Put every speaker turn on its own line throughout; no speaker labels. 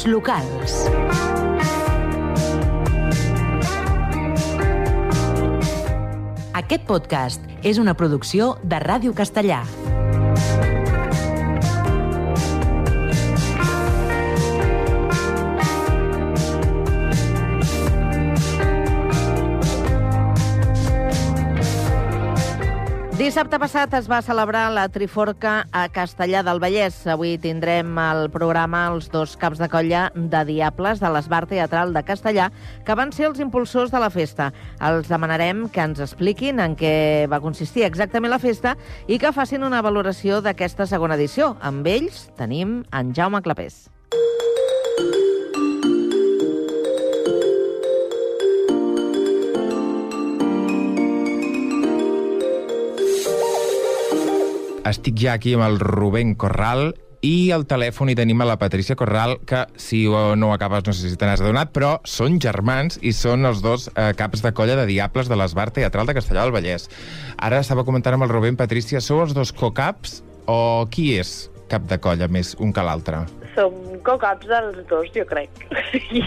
Ràdios locals. Aquest podcast és una producció de Ràdio Castellà.
Dissabte passat es va celebrar la Triforca a Castellar del Vallès. Avui tindrem al programa els dos caps de colla de Diables de l'Esbar Teatral de Castellar, que van ser els impulsors de la festa. Els demanarem que ens expliquin en què va consistir exactament la festa i que facin una valoració d'aquesta segona edició. Amb ells tenim en Jaume Clapés.
Estic ja aquí amb el Rubén Corral i al telèfon hi tenim a la Patricia Corral, que si no ho acabes no sé si te n'has adonat, però són germans i són els dos caps de colla de Diables de l'Esbar Teatral de Castellar del Vallès. Ara estava comentant amb el Rubén, Patricia, sou els dos co-caps o qui és cap de colla més un que l'altre?
Som co-caps dels dos, jo crec.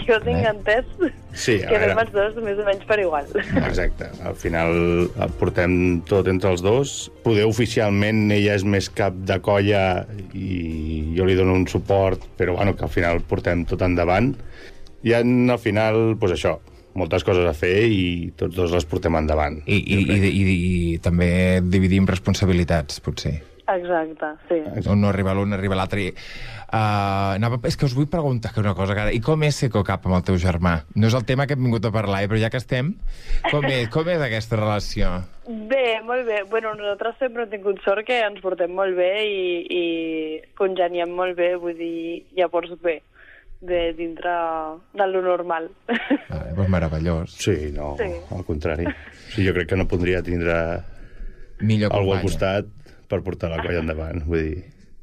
Jo tinc entès que anem els dos més o menys per igual.
Exacte. Al final el portem tot entre els dos. Poder oficialment ella és més cap de colla i jo li dono un suport, però bueno, que al final portem tot endavant. I al final, doncs això, moltes coses a fer i tots dos les portem endavant.
I també dividim responsabilitats, potser.
Exacte, sí.
No arriba l'un, arriba l'altre. És que us vull preguntar una cosa, cara. I com és ser co-cap amb el teu germà? No és el tema que hem vingut a parlar, però ja que estem, com és aquesta relació?
Bé, molt bé. Bueno, nosaltres sempre hem tingut sort que ens portem molt bé i congeniem molt bé, vull dir, llavors bé, dintre de lo normal.
Doncs meravellós.
Sí, no, sí. Al contrari. Sí, jo crec que no podria tindre algú al costat per portar la colla endavant, vull dir...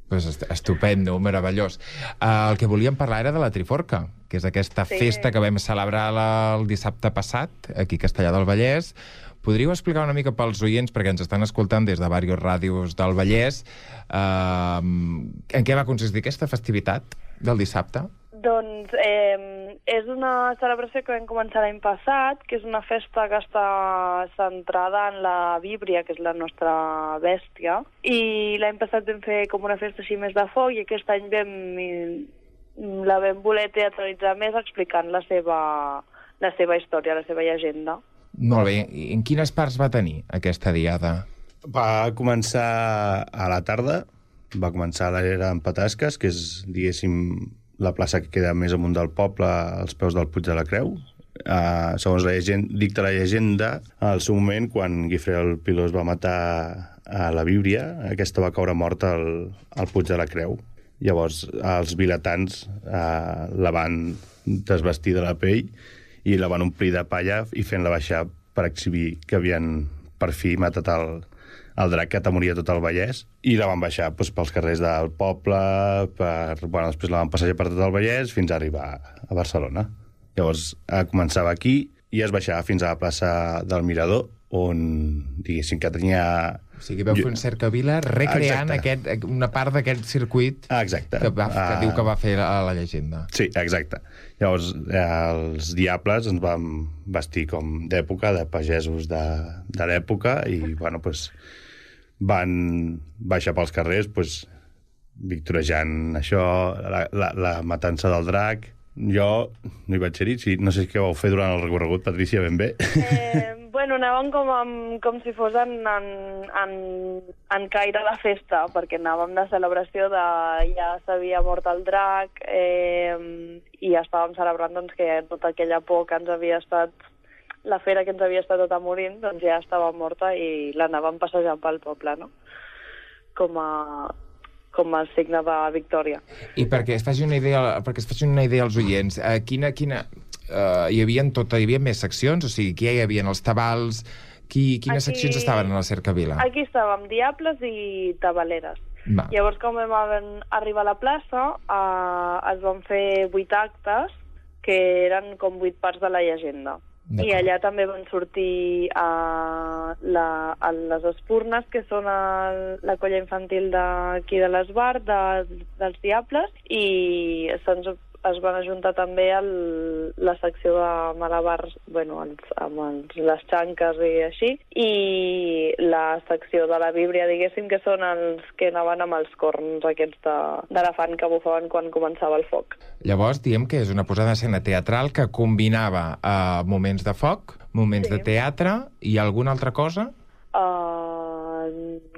Pues estupendo, meravellós. El que volíem parlar era de la Triforca, que és aquesta festa que vam celebrar el dissabte passat, aquí a Castellar del Vallès. Podríeu explicar una mica pels oients, perquè ens estan escoltant des de diverses ràdios del Vallès, en què va consistir aquesta festivitat del dissabte?
Doncs és una celebració que vam començar l'any passat, que és una festa que està centrada en la víbria, que és la nostra bèstia, i l'any passat vam fer com una festa així més de foc, i aquest any la vam voler teatralitzar més explicant la seva història, la seva llegenda.
Molt bé. I en quines parts va tenir aquesta diada?
Va començar a la tarda, va començar a l'era en Patasques, que és, diguéssim, la plaça que queda més amunt del poble, als peus del Puig de la Creu. Segons dicta la llegenda, al seu moment, quan Guifré el Pilós va matar a la víbria, aquesta va caure morta al Puig de la Creu. Llavors, els vilatans la van desvestir de la pell i la van omplir de palla i fent-la baixar per exhibir que havien per fi matat el drac que atemoria tot el Vallès, i la van baixar pels carrers del poble, després la van passejar per tot el Vallès fins a arribar a Barcelona. Llavors començava aquí i es baixava fins a la plaça del Mirador, on, diguéssim, que tenia...
O sigui, veu fer un cercavila recreant una part d'aquest circuit que diu que va fer la llegenda.
Sí, exacte. Llavors, els Diables ens vam vestir com d'època, de pagesos de l'època, i, bueno, van baixar pels carrers, victorejant això, la matança del drac. Jo no hi vaig ser-hi, no sé què vau fer durant el recorregut, Patricia, ben bé.
Bueno, anàvem com si fos en caire de festa, perquè anàvem de celebració ja s'havia mort el drac i estàvem celebrant doncs, que tota aquella por que ens havia estat, la fera que ens havia estat tota morint, doncs ja estava morta i l'anàvem passejant pel poble, no? Com a signe de victòria.
I perquè es faci una idea als oients, hi havia més seccions? O sigui, aquí hi havia els tabals, quines seccions estaven a la cercavila?
Aquí estàvem Diables i Tabaleres. Llavors, com vam arribar a la plaça, es van fer 8 actes, que eren com 8 parts de la llegenda. I allà també van sortir les espurnes, que són la colla infantil d'aquí de l'Esbar, dels Diables, i se'ns es van ajuntar també la secció de malabars, amb les xanques i així, i la secció de la Bíblia, diguéssim, que són els que anaven amb els corns aquests d'elefant que bufaven quan començava el foc.
Llavors, diem que és una posada d'escena teatral que combinava moments de foc, moments de teatre i alguna altra cosa?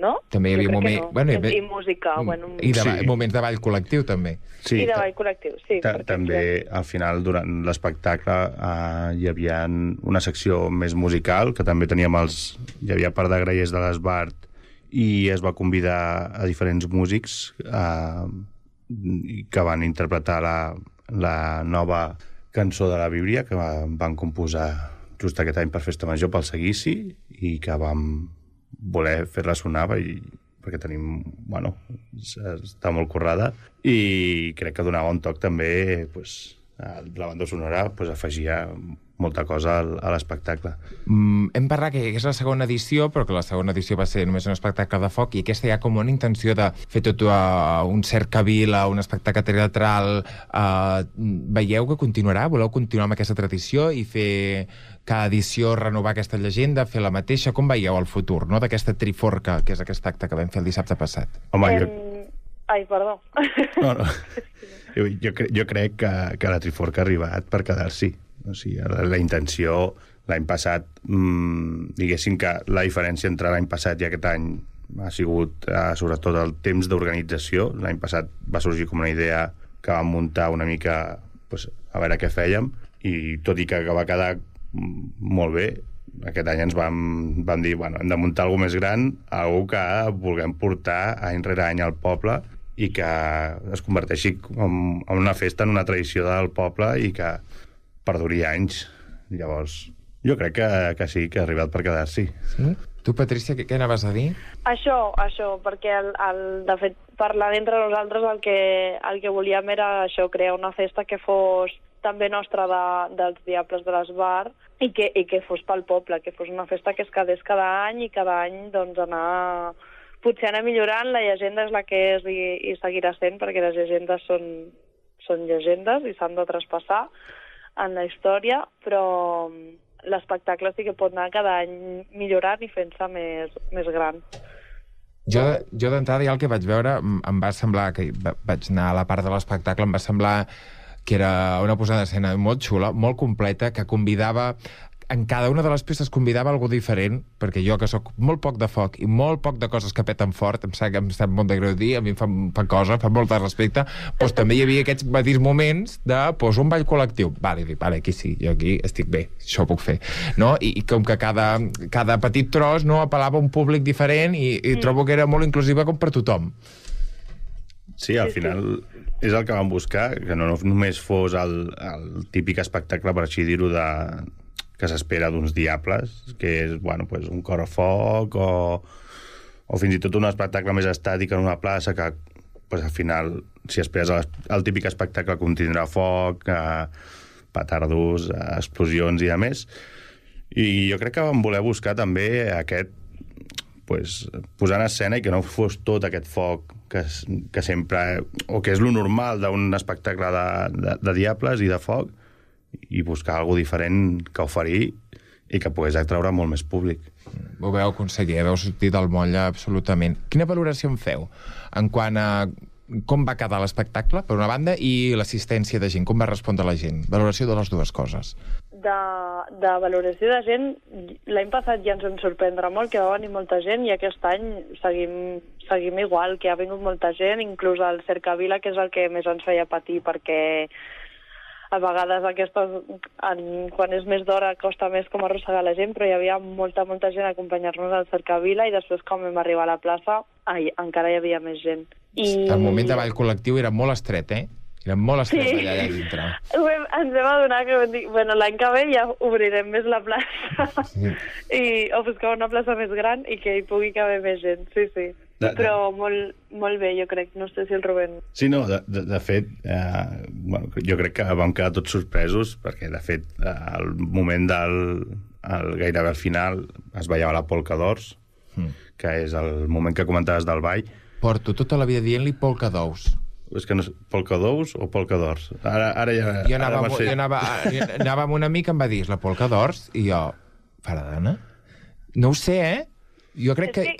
No?
També hi havia
I música.
Moments de ball col·lectiu, també.
Sí,
I de ball col·lectiu, sí.
També, al final, durant l'espectacle, hi havia una secció més musical, que també teníem hi havia part de grallers de l'Esbart, i es va convidar a diferents músics que van interpretar la nova cançó de la Bíblia, que van composar just aquest any per Festa Major pel Seguici, i que vam voler fer-la sonar perquè tenim, està molt currada, i crec que donava un toc també, la banda sonora afegia molta cosa a l'espectacle.
Hem parlat que és la segona edició, però que la segona edició va ser només un espectacle de foc, i aquesta hi ha com una intenció de fer tot un cercavila, un espectacle teatral. Veieu que continuarà? Voleu continuar amb aquesta tradició i fer cada edició renovar aquesta llegenda, fer la mateixa? Com veieu el futur, no?, d'aquesta triforca, que és aquest acte que vam fer el dissabte passat?
Home,
Ai, perdó.
No. Jo crec que la triforca ha arribat per quedar-s'hi. O sigui, la intenció, l'any passat, diguéssim que la diferència entre l'any passat i aquest any ha sigut, sobretot, el temps d'organització. L'any passat va sorgir com una idea que vam muntar una mica a veure què fèiem, i tot i que va quedar molt bé, aquest any ens vam dir, hem de muntar alguna més gran, alguna que vulguem portar any rere any al poble i que es converteixi en una festa, en una tradició del poble, i que perduri anys. Llavors, jo crec que sí, que ha arribat per quedar-s'hi.
Sí? Tu, Patrícia, què anaves a dir?
Això, perquè de fet, parlant entre nosaltres, el que volíem era això, crear una festa que fos també nostra dels Diables de l'Esbart, i que fos pel poble, que fos una festa que es quedés cada any, i cada any potser anar millorant. La llegenda és la que és i seguirà sent, perquè les llegendes són llegendes i s'han de traspassar en la història, però l'espectacle sí que pot anar cada any millorant i fent-se més gran.
Jo d'entrada, ja el que vaig veure, em va semblar, que vaig anar a la part de l'espectacle, em va semblar que era una posada d'escena molt xula, molt completa, que convidava, en cada una de les peces convidava algú diferent, perquè jo, que sóc molt poc de foc i molt poc de coses que peten fort, em sap molt de greu dir, a mi em fa molt de respecte, doncs també hi havia aquests petits moments de un ball col·lectiu. Vale, aquí sí, jo aquí estic bé, això ho puc fer. No? I com que cada petit tros apel·lava a un públic diferent, i trobo que era molt inclusiva com per tothom.
Sí, al final és el que vam buscar, que no només fos el típic espectacle, per així dir-ho, que s'espera d'uns diables, que és un cor a foc, o fins i tot un espectacle més estàtic en una plaça, que al final, si esperes el típic espectacle, contindrà foc, petardos, explosions i a més. I jo crec que vam voler buscar també aquest, posar en escena, i que no fos tot aquest foc que sempre, o que és lo normal d'un espectacle de diables i de foc, i buscar alguna diferent que oferir i que pogués atraure molt més públic.
Ho veu, conseller, veu sortir del moll absolutament. Quina valoració en feu en quant a com va quedar l'espectacle, per una banda, i l'assistència de gent, com va respondre la gent? Valoració de les dues coses.
De valoració de gent, l'any passat ja ens en sorprendrà molt, que va venir molta gent, i aquest any seguim igual, que ha vingut molta gent, inclús el Cercavila, que és el que més ens feia patir, perquè a vegades quan és més d'hora costa més com arrossegar la gent, però hi havia molta gent a acompanyar-nos al Cercavila, i després quan vam arribar a la plaça encara hi havia més gent.
El moment de ball col·lectiu era molt estret, Era molt estret allà dintre.
Ens vam adonar que vam dir, l'any que ve ja obrirem més la plaça, o buscar una plaça més gran i que hi pugui caber més gent, sí. Però molt bé, jo crec. No sé si el Rubén...
Sí, no, de fet, jo crec que vam quedar tots sorpresos, perquè, de fet, al moment gairebé al final es ballava la polca d'ors, que és el moment que comentaves del ball.
Porto tota la vida dient-li polca d'ous.
És que no sé, polca d'ous o polca d'ors? Ara ja...
Jo anava amb un amic que em va dir la polca d'ors i jo, faradana? No ho sé, Jo crec que...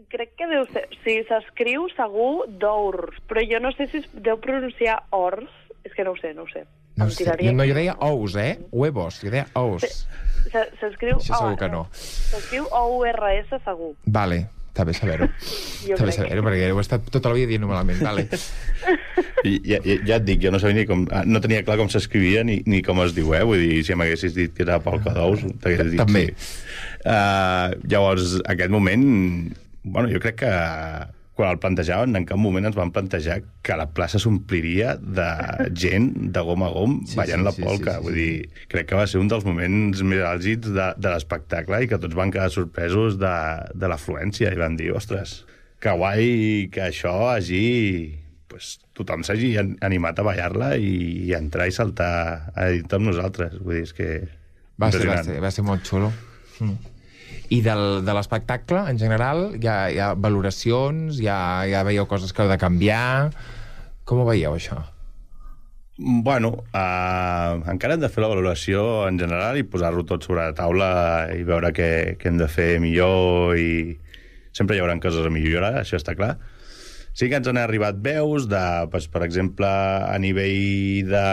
Crec que deu ser... Sí, s'escriu segur d'ors, però jo no sé si es deu pronunciar ors. És que no ho sé.
No sé. Jo deia ous, Huevos, jo deia ous.
S'escriu...
Això segur que no.
S'escriu OURS segur.
Vale, està bé saber-ho. Està bé saber-ho, perquè ho he estat tota la vida dient malament. Vale.
Ja et dic, jo no sabia ni com... No tenia clar com s'escrivia ni com es diu, Vull dir, si m'haguessis dit que era polca d'ous, t'hagués dit
també.
Sí. Llavors, aquest moment... Bueno, jo crec que quan el plantejaven, en cap moment ens van plantejar que la plaça s'ompliria de gent de gom a gom ballant la polca. Vull dir, crec que va ser un dels moments més àlgids de l'espectacle i que tots van quedar sorpresos de l'afluència i van dir, ostres, que guai que això hagi... Pues, tothom s'hagi animat a ballar-la i entrar i saltar a dir amb nosaltres. Vull dir, és que...
Va ser molt xulo. I de l'espectacle, en general, hi ha valoracions, ja veieu coses que heu de canviar... Com ho veieu, això?
Bueno, encara hem de fer la valoració en general i posar-ho tot sobre la taula i veure què hem de fer millor i sempre hi haurà coses a millorar, això està clar. Sí que ens han arribat veus de, per exemple, a nivell de...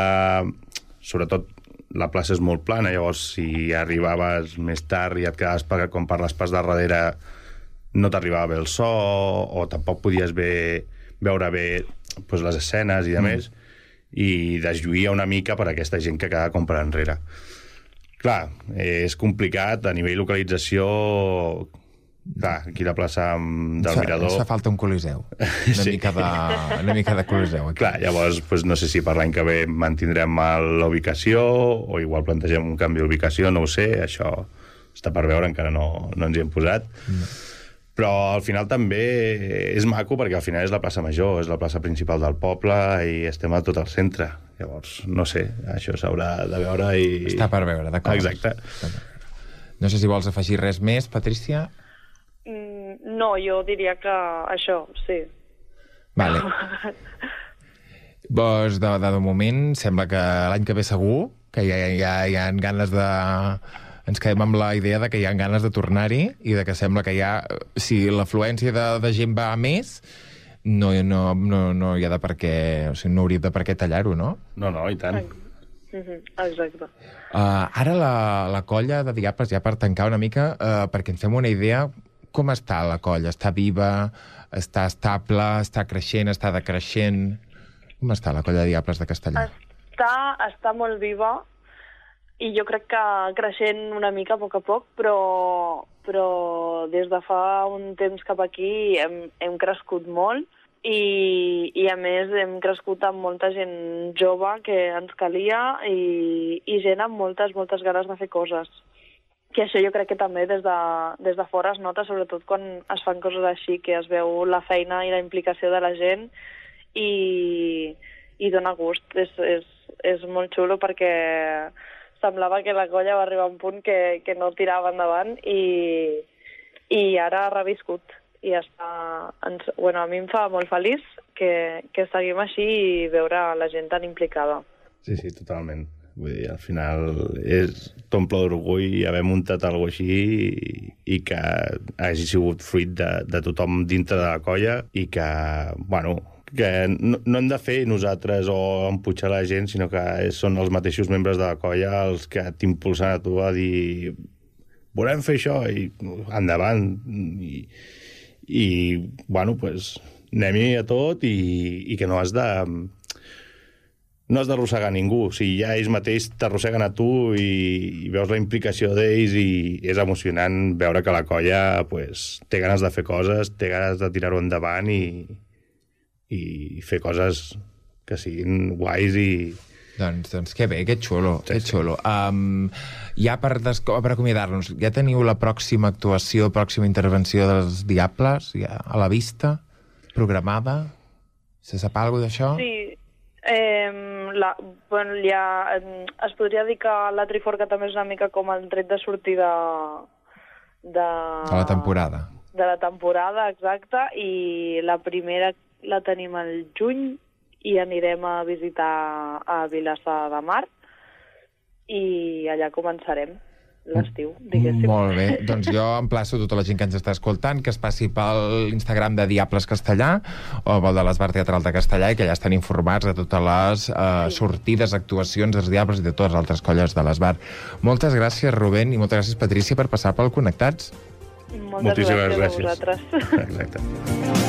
Sobretot, la plaça és molt plana, llavors si arribaves més tard i et quedaves com per les parts de darrere no t'arribava bé el so o tampoc podies veure bé les escenes i de més i deslluïa una mica per aquesta gent que quedava com per enrere. Clar, és complicat a nivell localització. Clar, aquí la plaça del Mirador...
Ens fa falta un coliseu. Una mica de coliseu. Aquí.
Clar, llavors, no sé si per l'any que ve mantindrem la o igual plantegem un canvi d'ubicació, no ho sé, això està per veure, encara no ens hi hem posat. Però al final també és maco perquè al final és la plaça Major, és la plaça principal del poble i estem a tot el centre. Llavors, no sé, això s'haurà de veure i...
Està per veure, d'acord.
Exacte.
No sé si vols afegir res més, Patrícia?
No, jo diria que això, sí.
Vale. Doncs de moment sembla que l'any que ve segur, que hi ha ganes de... Ens quedem amb la idea de que hi ha ganes de tornar-hi i de que sembla que hi ha... Si l'afluència de gent va a més, no hi ha de per què... O sigui, no hauria de per què tallar-ho, no?
No, i tant.
Exacte.
Ara la colla de Diables, ja per tancar una mica, perquè ens fem una idea... Com està la colla? Està viva? Està estable? Està creixent? Està decreixent? Com està la colla de Diables de Castellà?
Està molt viva i jo crec que creixent una mica a poc, però des de fa un temps cap aquí hem crescut molt i a més hem crescut amb molta gent jove que ens calia i gent amb moltes ganes de fer coses. Que això jo crec que també des de fora es nota, sobretot quan es fan coses així, que es veu la feina i la implicació de la gent i dona gust. És molt xulo perquè semblava que la colla va arribar a un punt que no tirava endavant i ara ha reviscut. I està... Bueno, a mi em fa molt feliç que seguim així i veure la gent tan implicada.
Sí, totalment. Vull dir, al final t'omple d'orgull haver muntat alguna cosa així i que hagi sigut fruit de tothom dintre de la colla i que, que no hem de fer nosaltres o empujar la gent, sinó que són els mateixos membres de la colla els que t'impulsen a tu a dir volem fer això i endavant i anem-hi a tot i que no has d'arrossegar ningú. O sigui, ja ells mateix t'arrosseguen a tu i veus la implicació d'ells i és emocionant veure que la colla té ganes de fer coses, té ganes de tirar-ho endavant i fer coses que siguin guais i...
Doncs que bé, que xulo, que xulo. Ja per acomiadar-nos, ja teniu la pròxima actuació, pròxima intervenció dels Diables ja a la vista, programada? Se sap alguna cosa d'això?
Sí. Es podria dir que la Triforca també és una mica com el tret de sortida de
la temporada.
De la temporada, exacte, i la primera la tenim al juny, i anirem a visitar a Vilassar de Mar i allà començarem l'estiu, diguéssim.
Molt bé. Doncs jo emplaço tota la gent que ens està escoltant que es passi pel Instagram de Diables Castellà o pel de l'Esbar Teatral de Castellà i que ja estan informats de totes les sortides, actuacions dels Diables i de totes les altres colles de l'Esbar. Moltes gràcies, Rubén, i moltes gràcies, Patrícia, per passar pel Connectats.
Moltes gràcies a vosaltres.
Exacte.